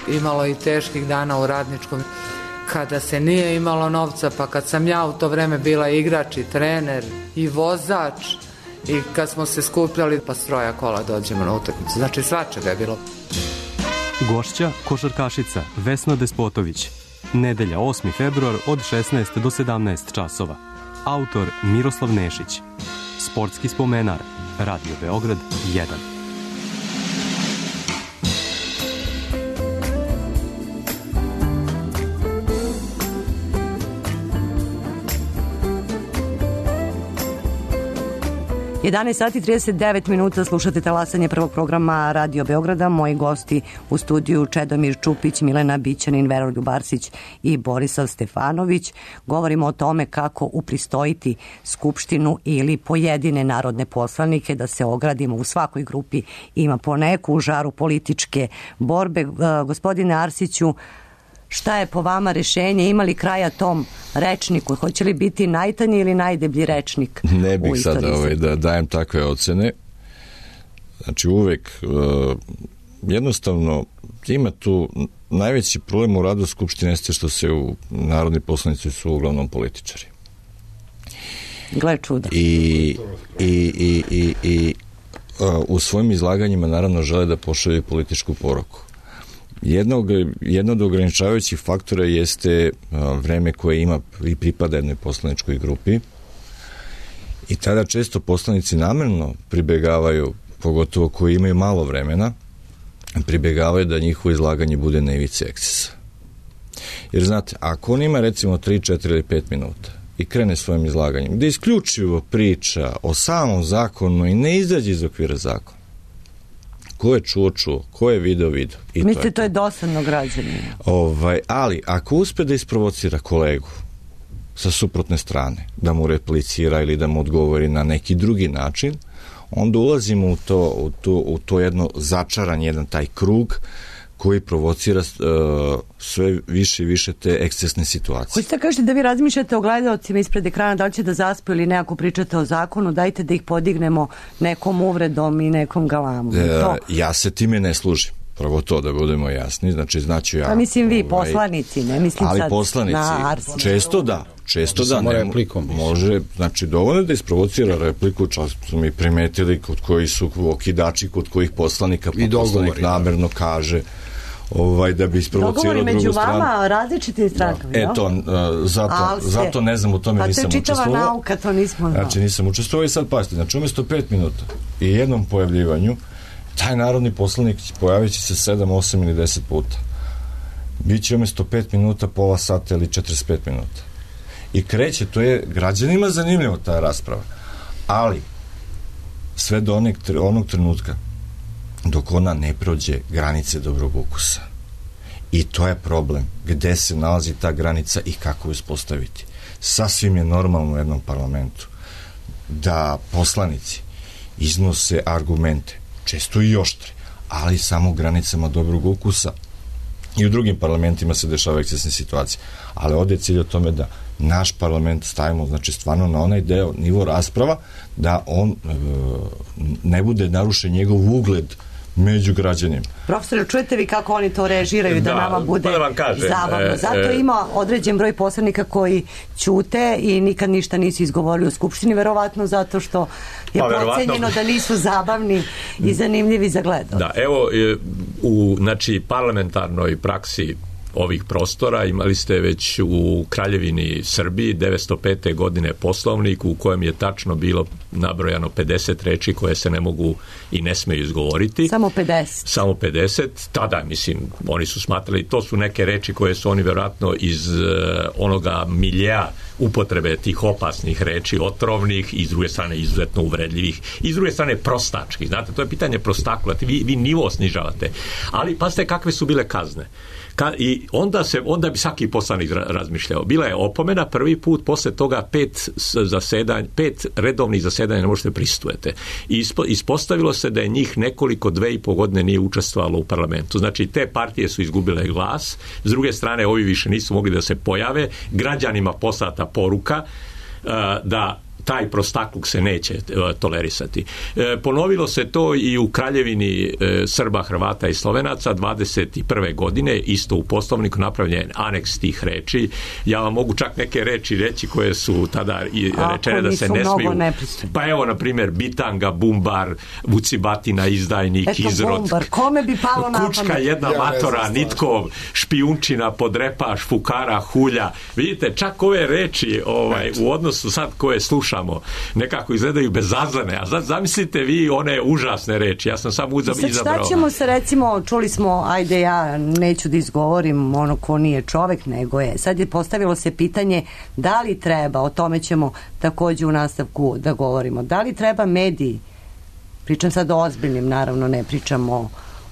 Imalo i teških dana u Radničkom kada se nije imalo novca, pa kad sam ja u to vreme bila igrač i trener i vozač i kad smo se skupljali pa s 3 kola dođemo na utakmicu. Znači svačega je bilo. Gošća košarkašica Vesna Despotović. Nedelja 8. februar od 16 do 17 časova. Autor Miroslav Nešić. Sportski spomenar. Radio Beograd 1. 11 sati 39 minuta, slušate talasanje prvog programa Radio Beograda. Moji gosti u studiju Čedomir Čupić, Milena Bićanin, Veroljub Arsić i Borisav Stefanović. Govorimo o tome kako upristojiti Skupštinu ili pojedine narodne poslanike, da se ogradimo. U svakoj grupi ima po neku u žaru političke borbe. Gospodine Arsiću, šta je po vama rešenje? Ima li kraja tom rečniku? Hoće li biti najtanji ili najdeblji rečnik? Ne bih sada da dajem takve ocene. Znači uvek jednostavno ima tu najveći problem u radu Skupštine jeste što se narodni poslanici su uglavnom političari. Gle čuda. I u svojim izlaganjima naravno žele da pošalju političku poruku. Jedno od ograničavajućih faktora jeste vreme koje ima i pripada jednoj poslaničkoj grupi i tada često poslanici namerno pribegavaju, pogotovo koji imaju malo vremena, pribegavaju da njihovo izlaganje bude na ivici ekscesa. Jer znate, ako on ima recimo 3, 4 ili 5 minuta i krene svojim izlaganjem, gde isključivo priča o samom zakonu i ne izađe iz okvira zakona, ko je čuo, ko je video. Mislite, to je dosadno građanima. Ali, ako uspe da isprovocira kolegu sa suprotne strane, da mu replicira ili da mu odgovori na neki drugi način, onda ulazimo u to jedno začaranje, jedan taj krug koji provocira sve više i više te ekscesne situacije. Hoćete kažete da vi razmišljate o gledalcima ispred ekrana, da li će da zaspu ili nekako pričate o zakonu, dajte da ih podignemo nekom uvredom i nekom galamom. Ja se time ne služim. Prvo to da budemo jasni, znači ja... Pa mislim vi, poslanici, ne mislim ali sad poslanici, na Arsen. Često da, može, znači dovoljno da isprovocira repliku, čak su mi primetili kod koji su okidači, kod kojih poslanika, pa poslanik namerno kaže da bi isprovocirao drugu stranu. Dogovori među vama različitim strankama, zato ne znam, u tome nisam učestvovao. Pa to je čitava nauka, to nismo znao. Znači nisam učestvovao i sad pazite, znači umjesto 5 minuta i jednom pojavljivanju, taj narodni poslanik pojavit će se 7, 8 ili 10 puta. Biće umjesto 5 minuta, pola sata ili 45 minuta. I kreće, to je građanima zanimljivo ta rasprava. Ali, sve do onog trenutka dok ona ne prođe granice dobrog ukusa. I to je problem. Gde se nalazi ta granica i kako ju uspostaviti. Sasvim je normalno u jednom parlamentu da poslanici iznose argumente, često i oštre, ali samo u granicama dobrog ukusa. I u drugim parlamentima se dešava ekscesne situacije. Ali ovde je cilj o tome da naš parlament stavimo, znači stvarno na onaj deo, nivo rasprava, da on ne bude narušen njegov ugled među građanima. Profesore, čujete vi kako oni to režiraju da nama bude zabavno? Zato ima određen broj poslanika koji ćute i nikad ništa nisu izgovorili u Skupštini, verovatno zato što je procenjeno da nisu zabavni i zanimljivi za gledalce. Da, evo, u parlamentarnoj praksi ovih prostora imali ste već u Kraljevini Srbiji 905. godine poslovnik u kojem je tačno bilo nabrojano 50 reči koje se ne mogu i ne smeju izgovoriti. Samo 50. Samo 50. Tada, mislim, oni su smatrali, to su neke reči koje su oni vjerojatno iz onoga miljeja upotrebe tih opasnih reči, otrovnih i s druge strane izuzetno uvredljivih i s druge strane prostačkih. Znate, to je pitanje prostakla. Vi nivo snižavate. Ali pazite kakve su bile kazne. I onda bi svaki poslanik razmišljao. Bila je opomena prvi put, posle toga 5 redovnih zasedanja ne možete pristujete. I ispostavilo se da je njih nekoliko 2,5 godine nije učestvovalo u parlamentu. Znači, te partije su izgubile glas, s druge strane ovi više nisu mogli da se pojave, građanima poslata poruka da taj prostakluk se neće tolerisati. Ponovilo se to i u Kraljevini Srba, Hrvata i Slovenaca 21. godine, isto u poslovniku napravljen aneks tih reči. Ja vam mogu čak neke reči reći koje su tada rečene da se ne smiju. Pa evo, na primjer, bitanga, bumbar, vucibatina, izdajnik, izrod. Bumbar, kome bi palo na pamet? Kučka, jedna matora, nitkov, špijunčina, podrepaš, fukara, hulja. Vidite, čak ove reči u odnosu sad koje slušamo nekako izgledaju bezazlene, a zamislite vi one užasne reči, ja sam samo izabrao. Šta ćemo se, recimo, čuli smo, ajde ja neću da izgovorim ono ko nije čovek, nego je. Sad je postavilo se pitanje da li treba, o tome ćemo takođe u nastavku da govorimo, da li treba mediji, pričam sad o ozbiljnim, naravno ne pričamo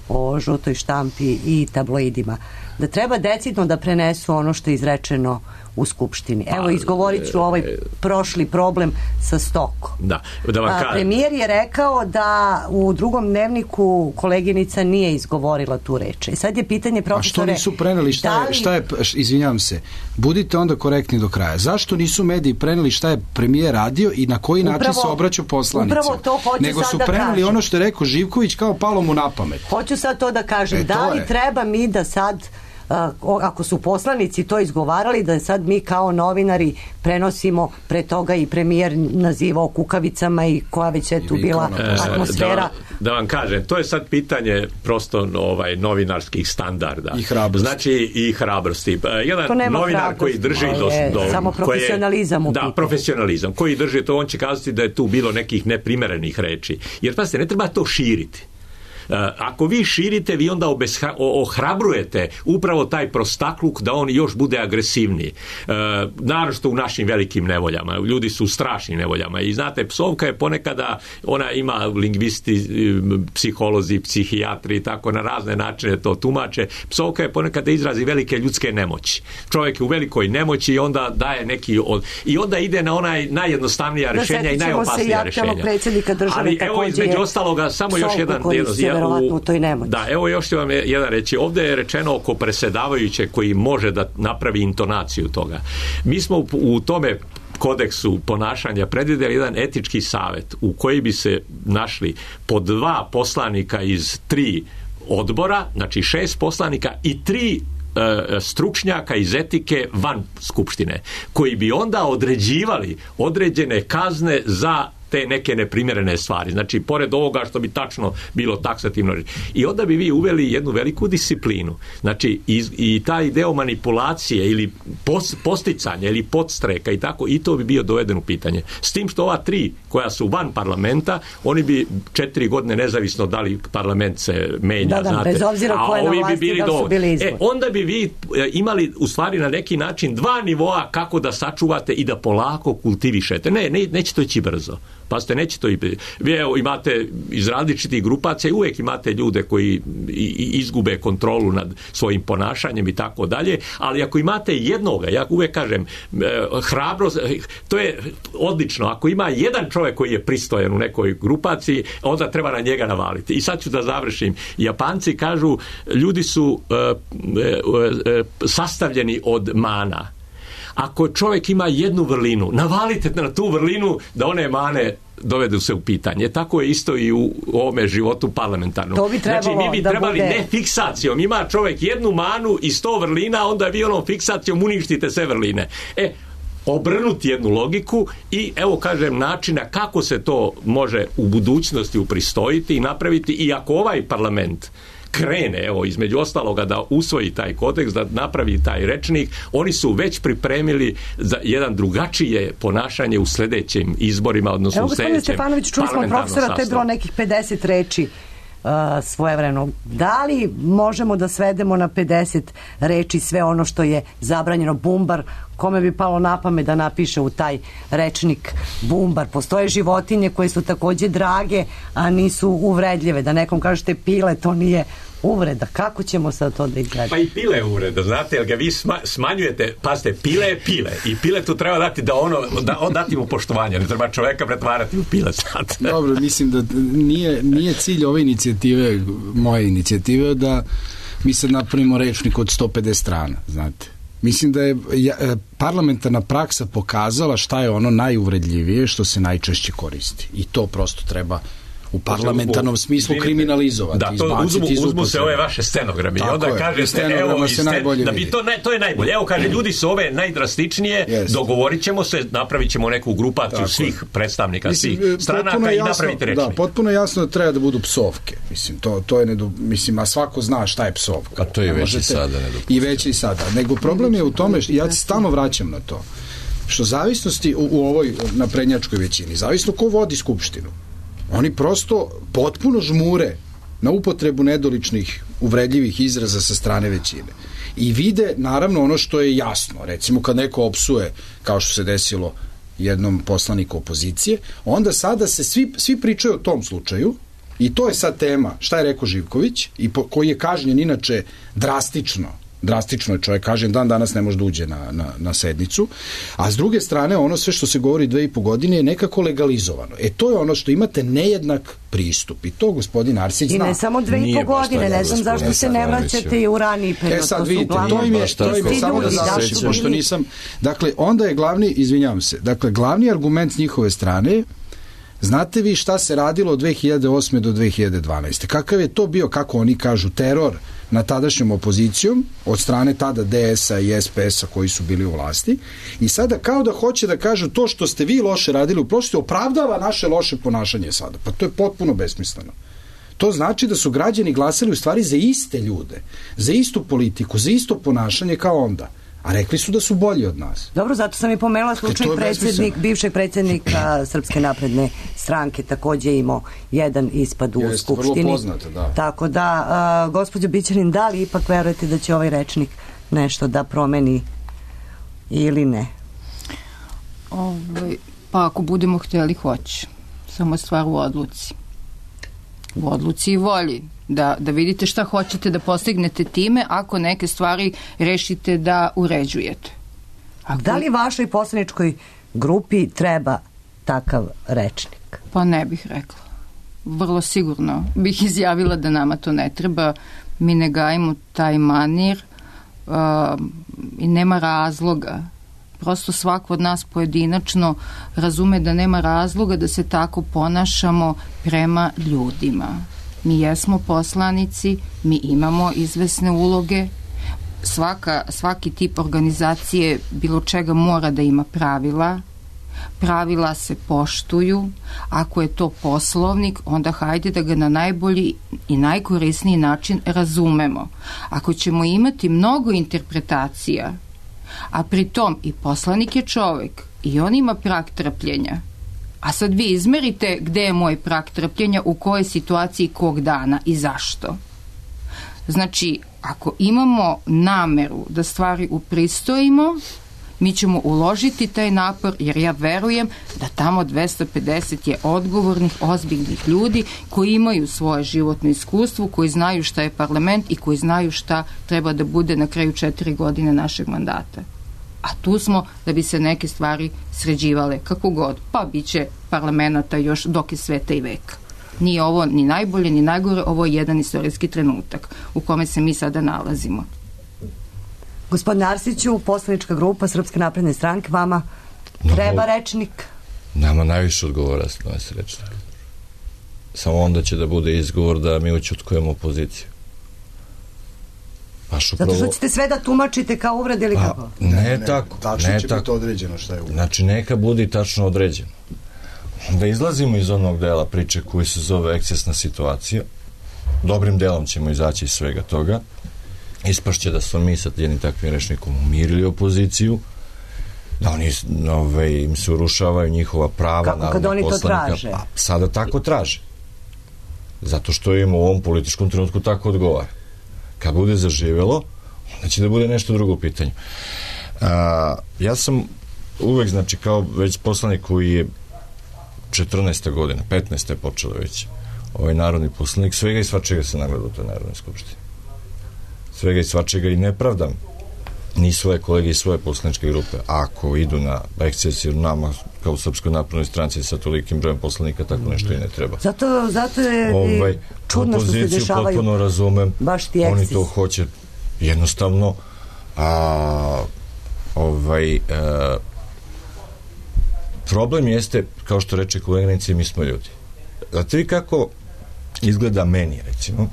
o žutoj štampi i tabloidima, da treba decidno da prenesu ono što je izrečeno u Skupštini. Evo, izgovorit ću ovaj prošli problem sa stokom. Da vam kažem. Premijer je rekao da u drugom dnevniku koleginica nije izgovorila tu reč. I sad je pitanje, profesore... A što nisu preneli? Šta je, izvinjavam se, budite onda korektni do kraja. Zašto nisu mediji preneli šta je premijer radio i na koji način se obraćao poslanicima? Upravo to hoću nego sad su da preneli kažem. Ono što je rekao Živković kao palo mu na pamet. Hoću sad to da kažem. Da li treba mi da sad, ako su poslanici to izgovarali, da sad mi kao novinari prenosimo pre toga i premijer nazivao kukavicama i koja već je tu bila atmosfera. Da vam kažem, to je sad pitanje prosto novinarskih standarda. I hrabrosti. Znači i hrabrosti. Jedan novinar koji drži do samo profesionalizam profesionalizam. Koji drži to, on će kazati da je tu bilo nekih neprimerenih reči. Jer pazite, ne treba to širiti. Ako vi širite, vi onda ohrabrujete upravo taj prostakluk da on još bude agresivniji. Naročito u našim velikim nevoljama. Ljudi su u strašnim nevoljama. I znate, psovka je ponekada, ona ima lingvisti, psiholozi, psihijatri i tako na razne načine to tumače. Psovka je ponekada izrazi velike ljudske nemoći. Čovjek je u velikoj nemoći i onda daje neki... I onda ide na onaj najjednostavnija rješenja i najopasnija rješenja. Ali evo, između ostaloga, samo još jedan Da, evo još ću vam jedan reći. Ovdje je rečeno oko predsjedavajuće koji može da napravi intonaciju toga. Mi smo u tome kodeksu ponašanja predvidjeli jedan etički savjet u koji bi se našli po 2 poslanika iz 3 odbora, znači 6 poslanika i 3 stručnjaka iz etike van Skupštine, koji bi onda određivali određene kazne za te neke neprimjerene stvari. Znači, pored ovoga što bi tačno bilo taksativno. I onda bi vi uveli jednu veliku disciplinu. Znači, i taj deo manipulacije ili posticanja ili podstreka i tako, i to bi bio doveden u pitanje. S tim što ova 3 koja su van parlamenta, oni bi 4 godine nezavisno da li parlament se menja, znate. Bez obzira ko je na vlasti, da su bili izbori. Onda bi vi imali u stvari na neki način 2 nivoa kako da sačuvate i da polako kultivišete. Neće to ići brzo. Pazite, neće to i... Vi imate iz različitih grupacija i uvijek imate ljude koji izgube kontrolu nad svojim ponašanjem i tako dalje, ali ako imate jednoga, ja uvijek kažem, hrabrost, to je odlično. Ako ima jedan čovjek koji je pristojan u nekoj grupaciji, onda treba na njega navaliti. I sad ću da završim. Japanci kažu, ljudi su sastavljeni od mana. Ako čovjek ima jednu vrlinu, navalite na tu vrlinu da one mane dovedu se u pitanje. Tako je isto i u ovome životu parlamentarnom. Znači, mi bi trebali ne fiksacijom. Ima čovjek jednu manu i 100 vrlina, onda vi onom fiksacijom uništite sve vrline. Obrnuti jednu logiku i evo kažem načina kako se to može u budućnosti upristojiti i napraviti, i ako ovaj parlament krene, evo, između ostaloga da usvoji taj kodeks, da napravi taj rečnik, oni su već pripremili za jedan drugačije ponašanje u sljedećim izborima, odnosno u sljedećem parlamentarnom sastavu. Čuli smo profesora, to je bilo nekih 50 reči svojevremeno. Da li možemo da svedemo na 50 reči sve ono što je zabranjeno? Bumbar, kome bi palo na pamet da napiše u taj rečnik bumbar? Postoje životinje koje su takođe drage, a nisu uvredljive. Da nekom kažete pile, to nije uvreda. Kako ćemo sad to da izgledamo? Pa i pile je uvreda, znate, jer ga vi smanjujete, pazite, pile je pile i pile tu treba dati da dati mu poštovanje, ne treba čoveka pretvarati u pile sad. Dobro, mislim da nije cilj ove inicijative, moje inicijative, da mi sad napravimo rečnik od 150 strana, znate. Mislim da je parlamentarna praksa pokazala šta je ono najuvredljivije što se najčešće koristi. I to prosto treba u parlamentarnom smislu kriminalizovati. Da, to uzmu se ove vaše stenogrami. I onda kažete, evo, da bi to je najbolje. Evo, kaže, ljudi su ove najdrastičnije, dogovorit ćemo se, napravit ćemo neku grupaciju svih predstavnika, svih stranaka i napraviti rečnik. Da, potpuno jasno da treba da budu psovke. Mislim, to je mislim, a svako zna šta je psovka. A to je već i sada nedopustimo. I već i sada. Nego problem je u tome, ja se stalno vraćam na to, što zavisnosti u ovoj naprednjačkoj većini, zavisno ko vodi skupštinu, oni prosto potpuno žmure na upotrebu nedoličnih, uvredljivih izraza sa strane većine. I vide, naravno, ono što je jasno. Recimo, kad neko opsuje, kao što se desilo jednom poslaniku opozicije, onda sada se svi pričaju o tom slučaju i to je sad tema šta je rekao Živković i koji je kažnjen inače drastično drastično je čovjek, kažem, dan danas ne može da uđe na sednicu, a s druge strane ono sve što se govori 2,5 godine je nekako legalizovano. To je ono što imate nejednak pristup i to gospodin Arsić zna. I ne samo 2,5 godine, ne znam zašto se ne vraćate i u raniji period. Sad vidite, to im je samo da završim, pošto nisam, dakle, onda je glavni, izvinjavam se, dakle, glavni argument s njihove strane, znate vi šta se radilo od 2008. do 2012. Kakav je to bio, kako oni kažu, teror na tadašnjom opozicijom od strane tada DS-a i SPS-a koji su bili u vlasti i sada kao da hoće da kažu to što ste vi loše radili u prošlosti opravdava naše loše ponašanje sada. Pa to je potpuno besmisleno. To znači da su građani glasali u stvari za iste ljude, za istu politiku, za isto ponašanje kao onda. A rekli su da su bolji od nas. Dobro, zato sam i pomenula slučaj bivšeg predsjednika Srpske napredne stranke, takođe imao jedan ispad u Skupštini. Vrlo poznato, da. Tako da, gospođo Bićanin, da li ipak verujete da će ovaj rečnik nešto da promeni ili ne? Pa ako budemo hteli, hoće. Samo stvar u odluci. U odluci i volji. Da vidite šta hoćete da postignete time ako neke stvari rešite da uređujete. Da li vašoj poslaničkoj grupi treba takav rečnik? Pa ne bih rekla. Vrlo sigurno bih izjavila da nama to ne treba. Mi ne gajimo taj manir i nema razloga. Prosto svako od nas pojedinačno razume da nema razloga da se tako ponašamo prema ljudima. Mi jesmo poslanici, mi imamo izvesne uloge, svaki tip organizacije bilo čega mora da ima pravila se poštuju, ako je to poslovnik, onda hajde da ga na najbolji i najkorisniji način razumemo. Ako ćemo imati mnogo interpretacija, a pritom i poslanik je čovek i on ima prag trpljenja, a sad vi izmerite gde je moj prag trpljenja, u kojoj situaciji, kog dana i zašto. Znači, ako imamo nameru da stvari upristojimo, mi ćemo uložiti taj napor, jer ja verujem da tamo 250 je odgovornih, ozbiljnih ljudi koji imaju svoje životno iskustvo, koji znaju šta je parlament i koji znaju šta treba da bude na kraju 4 godine našeg mandata. A tu smo da bi se neke stvari sređivale kako god, pa bit će parlamenta još dok je sveta i veka. Nije ovo ni najbolje ni najgore, ovo je jedan istorijski trenutak u kome se mi sada nalazimo. Gospodin Arsiću, poslanička grupa Srpske napredne stranke, vama treba rečnik? Nama najviše odgovora se donese rečnik. Samo onda će da bude izgovor da mi ućutkujemo opoziciju. Zato što ćete sve da tumačite kao uvrede ili kako? Ne tako. Tačno će biti određeno šta je uvrede. Znači, neka bude tačno određeno. Da izlazimo iz onog dela priče koji se zove ekscesna situacija. Dobrim delom ćemo izaći iz svega toga. Ispašće da smo mi sa jednim takvim rečnikom umirili opoziciju, da oni im se urušavaju njihova prava. Kako kad oni to traže? Pa, sada tako traže. Zato što im u ovom političkom trenutku tako odgovara. Kad bude zaživelo, onda će da bude nešto drugo u pitanju. Ja sam uvek, znači, kao već poslanik koji je 14. godina, 15. je počelo već ovaj narodni poslanik, svega i svačega se nagleda u toj Narodnoj skupštini. Svega i svačega i nepravdam ni svoje kolege i svoje poslaničke grupe. Ako idu na ekscesiju nama kao u Srpskoj naprednoj stranci sa tolikim brojem poslanika, tako nešto i ne treba. Zato je čudno što se dešavaju potpuno razumem, baš ti ekscesi. Oni to hoće jednostavno problem jeste, kao što reče koleginici, mi smo ljudi. Znate vi kako izgleda meni, recimo,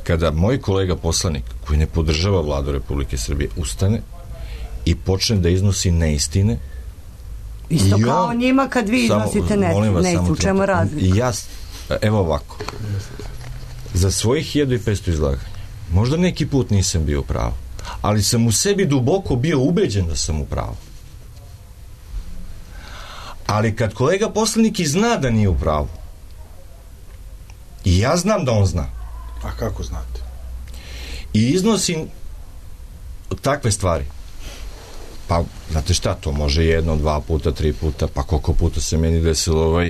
kada moj kolega poslanik koji ne podržava Vladu Republike Srbije ustane i počne da iznosi neistine. Isto kao njima kad vi iznosite neistine, u čemu razlika? Evo ovako, za svojih 1500 izlaganja možda neki put nisam bio u pravu, ali sam u sebi duboko bio ubeđen da sam u pravu. Ali kad kolega poslanik i zna da nije u pravu, i ja znam da on zna. A kako znate? I iznosim takve stvari. Pa, znate šta, to može 1, 2 puta, 3 puta, pa koliko puta se meni desilo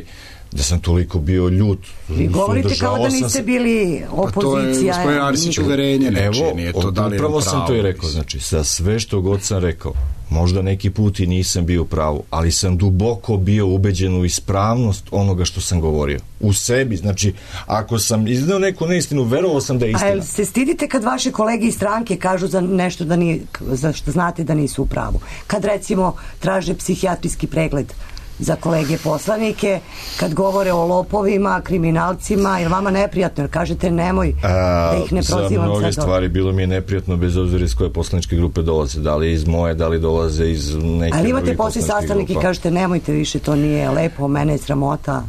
da sam toliko bio ljut. Vi govorite kao da niste bili opozicija. Pa to je gospodin Arsić uverenje, nije to da li je upravo pravo. sam to i rekao, znači, sa sve što god sam rekao, možda neki put i nisam bio u pravu, ali sam duboko bio ubeđen u ispravnost onoga što sam govorio. U sebi, znači, ako sam izneo neku neistinu, verovao sam da je istina. A jel se stidite kad vaše kolege iz stranke kažu za nešto da nije, za što znate da nisu u pravu? Kad recimo traže psihijatrijski pregled za kolege poslanike, kad govore o lopovima, kriminalcima, je vama neprijatno, jer kažete nemoj da ih ne prozivam. Za mnoge stvari bilo mi je neprijatno, bez obzira iz koje poslaničke grupe dolaze, da li iz moje, da li dolaze iz neke. Ali imate posle sastanak i kažete nemojte više, to nije lepo, mene je sramota.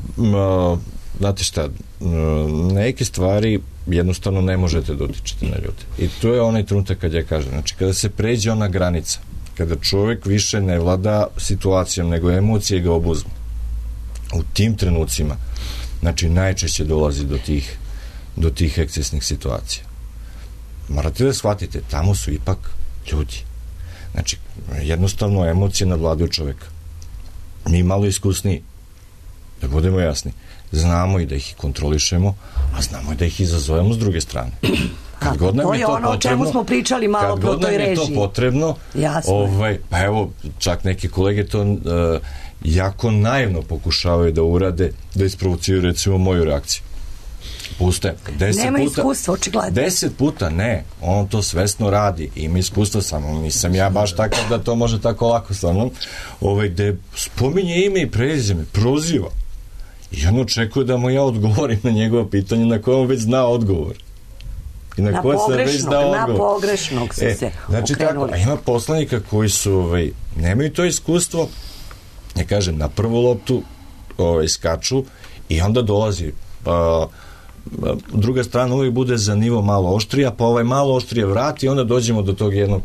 Znate šta, neke stvari jednostavno ne možete dotičiti na ljude. I to je onaj trenutak kad ja kažem, znači kada se pređe ona granica, kada čovjek više ne vlada situacijom, nego emocije ga obuzmu. U tim trenucima, znači, najčešće dolazi do tih ekscesnih situacija. Morate da shvatite, tamo su ipak ljudi. Znači, jednostavno emocije nadvladaju čovjeka. Mi malo iskusniji, da budemo jasni, znamo i da ih kontrolišemo, a znamo i da ih izazovemo s druge strane. Kad god nam to je ono o čemu smo pričali malo pro toj režiji. Kad god nam je to potrebno, pa evo, čak neki kolege to jako naivno pokušavaju da urade, da isprovociraju recimo moju reakciju. Puste. Nema iskustva, očigledno. 10 puta ne, on to svesno radi, ima iskustva, samo nisam ja baš takav da to može tako lako sa mnom, gde spominje ime i prezime, proziva. I on očekuje da mu ja odgovorim na njegovo pitanje na koje on već zna odgovor. I na pogrešnog su se znači okrenuli. Tako, a ima poslanika koji su nemaju to iskustvo, ja kažem, na prvu loptu skaču i onda dolazi druga strana uvijek bude za nivo malo oštrija, pa malo oštrije vrati i onda dođemo do tog jednog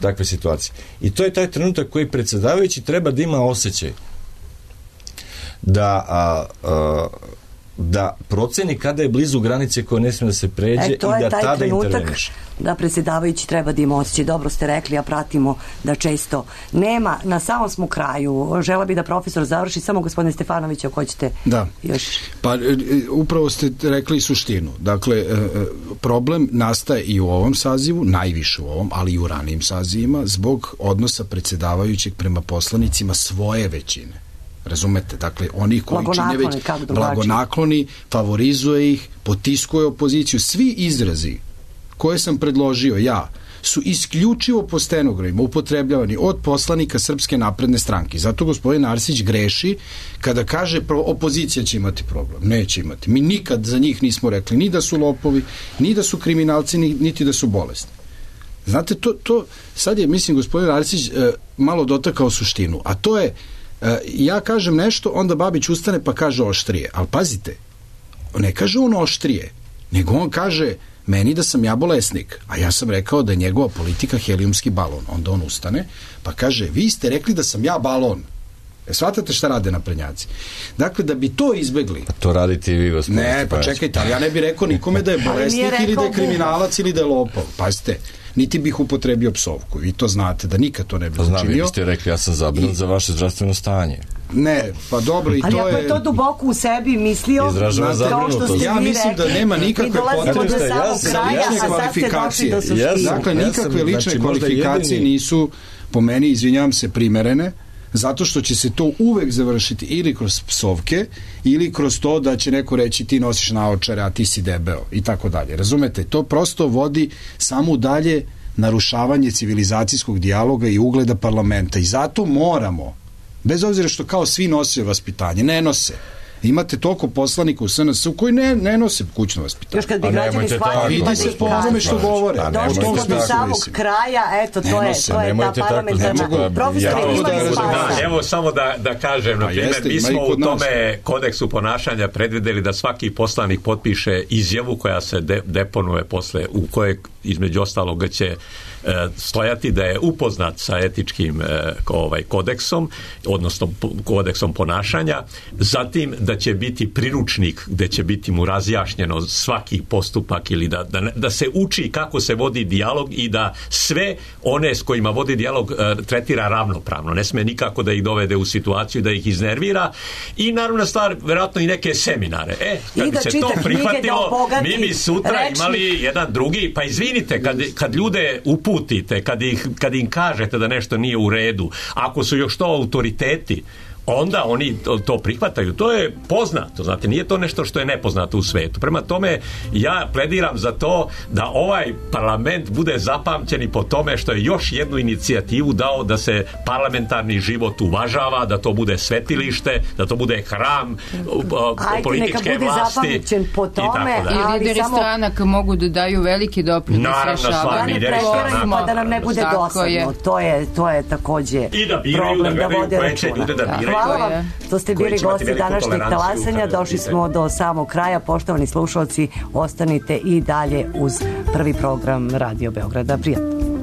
takve situacije. I to je taj trenutak koji predsjedavajući treba da ima osjećaj da proceni kada je blizu granice koja ne smije da se pređe i da tada interveniše. Da predsjedavajući treba da ima osjećaj. Dobro ste rekli, a pratimo da često nema. Na samom smo kraju. Žela bi da profesor završi, samo gospodine Stefanović, ako hoćete još. Pa upravo ste rekli suštinu. Dakle, problem nastaje i u ovom sazivu, najviše u ovom, ali i u ranijim sazivima, zbog odnosa predsjedavajućeg prema poslanicima svoje većine. Razumete? Dakle, oni koji čine već blagonakloni, favorizuje ih, potiskuje opoziciju. Svi izrazi koje sam predložio ja su isključivo po stenogramima upotrebljavani od poslanika Srpske napredne stranke. Zato gospodin Arsić greši kada kaže opozicija će imati problem. Neće imati. Mi nikad za njih nismo rekli ni da su lopovi, ni da su kriminalci, niti da su bolesni. Znate, to sad je, mislim, gospodin Arsić malo dotakao suštinu, a to je ja kažem nešto, onda Babić ustane pa kaže oštrije. Ali pazite, ne kaže on oštrije, nego on kaže meni da sam ja bolesnik, a ja sam rekao da je njegova politika helijumski balon. Onda on ustane pa kaže, vi ste rekli da sam ja balon. Shvatate šta rade naprednjaci? Dakle, da bi to izbegli... Pa to radite i vi, gospodin. Ne, pa čekajte, ali ja ne bih rekao nikome da je bolesnik ili da je kriminalac ili da je lopov. Pazite, niti bih upotrebio psovku. Vi to znate, da nikad to ne bih učinio. Znam, vi biste rekli, ja sam zabrinut za vaše zdravstveno stanje. Ne, pa dobro i ali to je... Ali ako je to duboko u sebi mislio... Izražava zabrinutost. Ja mislim da nema nikakve kvalifikacije. Dakle, nikakve lične kvalifikacije nisu, po meni, izvinjavam se, primerene, zato što će se to uvek završiti ili kroz psovke ili kroz to da će neko reći ti nosiš naočare, a ti si debeo i tako dalje. Razumete? To prosto vodi samo u dalje narušavanje civilizacijskog dijaloga i ugleda parlamenta i zato moramo, bez obzira što kao svi nose vaspitanje, ne nose. Imate toliko poslanika u SNS-u koji ne nose kućno vaspitanje. Još kad bi građani shvatili... Vidi se po onome što govore. Došli smo do samog kraja, eto, to je ta parlamentarna... Profesor, evo samo da kažem, na primjer, mi smo u tome kodeksu ponašanja predvideli da svaki poslanik potpiše izjavu koja se deponuje posle, u kojoj između ostalog će stojati da je upoznat sa etičkim kodeksom, odnosno kodeksom ponašanja, zatim da da će biti priručnik gde će biti mu razjašnjeno svaki postupak ili da se uči kako se vodi dijalog i da sve one s kojima vodi dijalog tretira ravnopravno. Ne sme nikako da ih dovede u situaciju da ih iznervira i naravno stvar, verovatno i neke seminare. Kad bi se to prihvatilo, mi bi sutra imali jedan drugi, pa izvinite, kad ljude uputite, kad im kažete da nešto nije u redu, ako su još to autoriteti, onda oni to prihvataju. To je poznato, znate, nije to nešto što je nepoznato u svetu. Prema tome, ja plediram za to da ovaj parlament bude zapamćen i po tome što je još jednu inicijativu dao da se parlamentarni život uvažava, da to bude svetilište, da to bude hram političke vlasti. Ajde, neka bude zapamćen po tome. I lideri stranaka mogu da daju veliki doprinos rešavanju. Da nam ne bude dosadno. To je takođe problem da vode računa. Hvala vam što ste bili gosti današnjeg talasanja. Došli smo do samog kraja. Poštovani slušalci, ostanite i dalje uz prvi program Radio Beograda. Prijatno.